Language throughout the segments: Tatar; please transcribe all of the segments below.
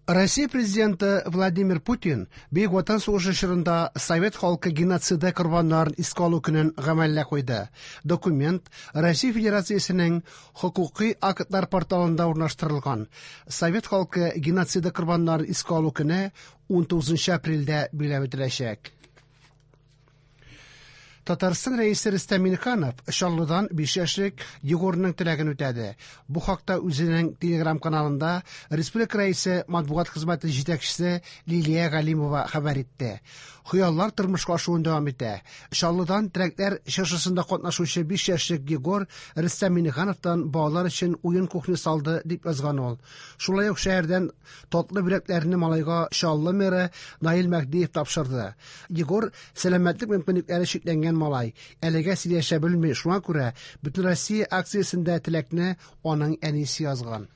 Россия президенты Владимир Путин Бөек Ватан сугышы чорында совет халкы геноциды корбаннарын искә алу көнен гамәлгә куйды. Документ Россия Федерациясенең хокукый актлар порталында урнаштырылган. Совет халкы геноциды корбаннарын искә алу көне 19 апрельдә билгеләп үтеләчәк. Татарстан Рәисе Рөстәм Миңнеханов Чаллыдан 5 яшьлек Егорның теләген үтәде. Бу хакта үзенең Телеграм-каналында республика Рәисе матбугат хезмәте җитәкчесе Лилия Галимова хәбәр итте. Хыяллар тормышка ашуын дәвам итә. Чаллыдан теләкләр чыршысында катнашучы 5 яшьлек Егор Рөстәм Миңнехановтан балалар өчен уен кухнясы алды, дип язган ул. Шулай ук шәһәрдән татлы бүләкләрне малайга Чаллы мэры Наил Мәһдиев тапшырды. Егор сәламәтлек мөмкинлекләре чикләнгән малай. Әлегә сөйләшә белми, шуңа күрә Бөтенроссия акциясендә теләкне аның әнисе язган.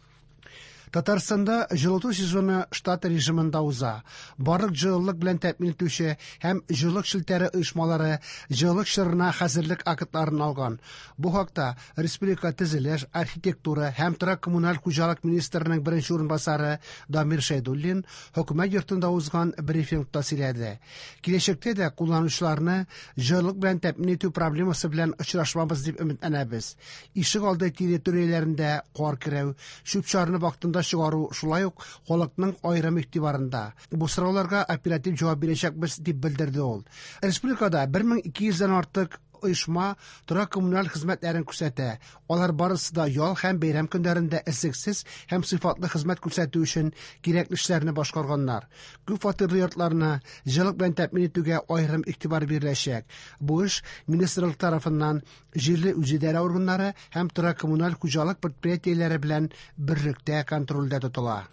Татарстанда җылыту сезоны штат режимында уза. Барлык җылылык белән тәэмин итүче һәм җылылык челтәре оешмалары җылылык чорына хәзерлек актларын алган. Бу хакта республика төзелеш, архитектура һәм торак-коммуналь хуҗалык министрының беренче урынбасары Дамир Шәйдуллин хөкүмәт йортында узган брифингта сөйләде. Киләчәктә дә кулланучыларны җылылык белән тәэмин итү проблемасы белән очрашмабыз дип өметләнәбез. Ишек алды территорияләрендә кар керү, чүп-чарны вакытында чыгару шулай ук халыкның аерым игътибарында. Бу сорауларга оператив җавап бирәчәкбез, дип белдерде ул. Республикада 1200 дән артык оешма торак-коммуналь хезмәтләрен күрсәтә. Алар барысы да ял һәм бәйрәм көннәрендә өзлексез һәм сыйфатлы хезмәт күрсәтү өчен кирәкле эшләрне башкарганнар. Күп фатирлы йортларны җылылык белән тәэмин итүгә аерым игътибар биреләчәк. Бу эш министрлык тарафыннан җирле үзидарә органнары һәм торак-коммуналь хуҗалык предприятиеләре белән берлектә контрольдә тотыла.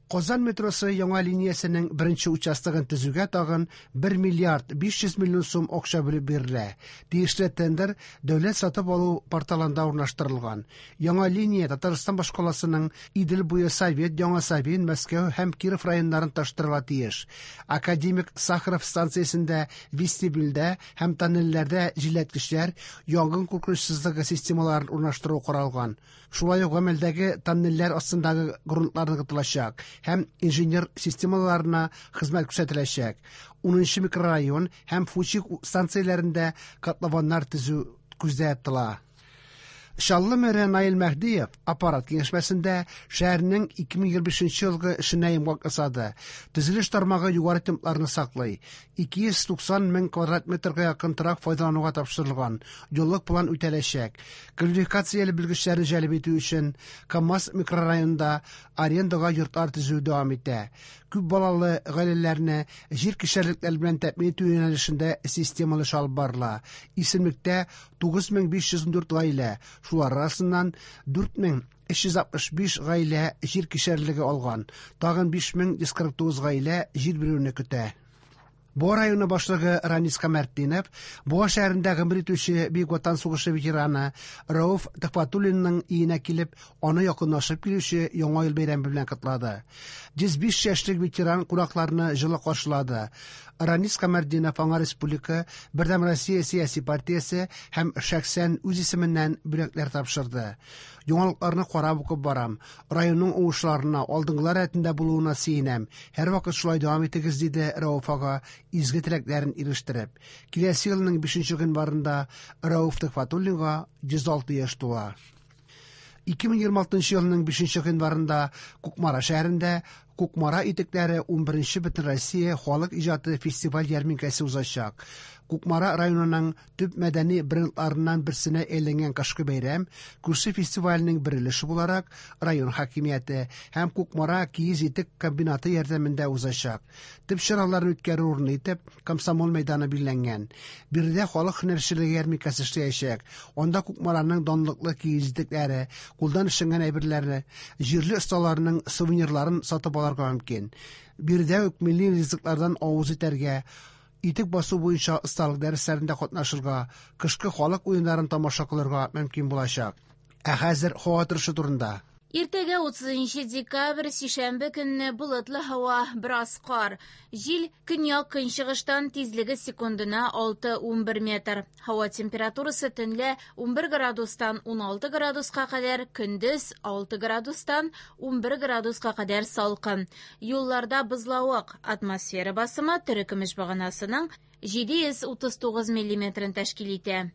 Казан метросы яңа линиясенең беренче участогын төзүгә тагын 1 миллиард 500 миллион сум акча бүлеп бирелә. Тиешле тендер дәүләт сатып алу порталында урнаштырылган. Яңа линия Татарстан башкаласының Идел буе Совет, Яңа Савин, Мәскәү һәм Киров районнарын таштырырга тиеш. Академик Сахаров станциясендә вестибюльдә һәм тоннельләрдә җилләткечләр, янгын куркынычсызлыгы системаларын урнаштыру каралган. Шулай ук гамәлдәге тоннельләр астындагы грунтлар ныгытылачак һәм инженер системаларына хезмәт күрсәтеләчәк. 10 микрорайон һәм Фучик станцияләрендә котлованнар төзү күздә тотыла. Чаллы мэры Наил Мәһдиев аппарат киңәшмәсендә шәһәрнең 2025 елгы эшенә йомгак ясады. Төзелеш тармагы югары темпларны саклый. 290 мең квадрат метрга якын торак файдалануга тапшырылган. Юллык план үтәләчәк. Квалификацияле белгечләрне җәлеп итү өчен КАМАЗ микрорайонында арендага йортлар төзү дәвам итә. Күп балалы гаиләләрне җир кишәрлекләр белән тәэмин итү юнәлешендә системалы эш алып барыла. Исемлектә 9514 гаилә, шулар арасыннан 4365 гаилә җир кишәрлеге алган. Тагын 5149 гаилә җир бирүне көтә. Буа районы башлыгы Ранис Камәртдинов Буа шәһәрендә гомер итүче Бөек Ватан сугышы ветераны Рәүф Төхвәтуллинның өенә килеп, аны якынлашып килүче Яңа ел бәйрәме белән котлады. 105 яшьлек ветеран кунакларны җылы каршылады. Ранис Камәртдинов аңа республика, Бердәм Россия сәяси партиясе һәм шәхсән үз исеменнән бүләкләр тапшырды. Яңалыкларны карап укып барам. Районның уңышларына, алдынгылар рәтендә булуына сөенәм. Һәрвакыт шулай дәвам итегез, диде Рәүф ага, изге теләкләрен ирештереп. Киләсе елның 5 гыйнварында Рәүф Төхвәтуллинга 106 яшь тула. 2026 елның 5 гыйнварында Кукмара шәһәрендә Кукмара итекләре 11 Бөтенроссия халык иҗаты фестиваль ярминкәсе узачак. Кукмара районының төп мәдәни брендларыннан берсенә әйләнгән кышкы бәйрәм күрше фестиваленең бер өлеше буларак район хакимияте һәм Кукмара киез итек комбинаты ярдәмендә узачак. Төп чараларны үткәрү урыны итеп Комсомол мәйданы билгеләнгән. Биредә халык һөнәрчелеге ярминкәсе эшләячәк. Анда Кукмараның данлыклы киез итекләре, кулдан эшләнгән әйберләре, җирле осталарның сувенирларын сатып алырга мөмкин. Биредә үк милли ризыклардан авыз итәргә, итек басу буенча осталык дәресләрендә катнашырга, кышкы халык уеннарын тамаша кылырга мөмкин булачак. Ә хәзер һава торышы турында. Иртәгә 30 декабрь, сишәмбе көнне болытлы һава, бераз кар. Җил көньяк-көнчыгыштан, тизлеге секундына 6-11 метр. Һава температурасы төнлә 11 градустан 16 градуска кадәр, көндез 6 градустан 11 градуска кадәр салкын. Юлларда бозлавык, атмосфера басымы терекөмеш баганасының 739 миллиметрын тәшкил итә.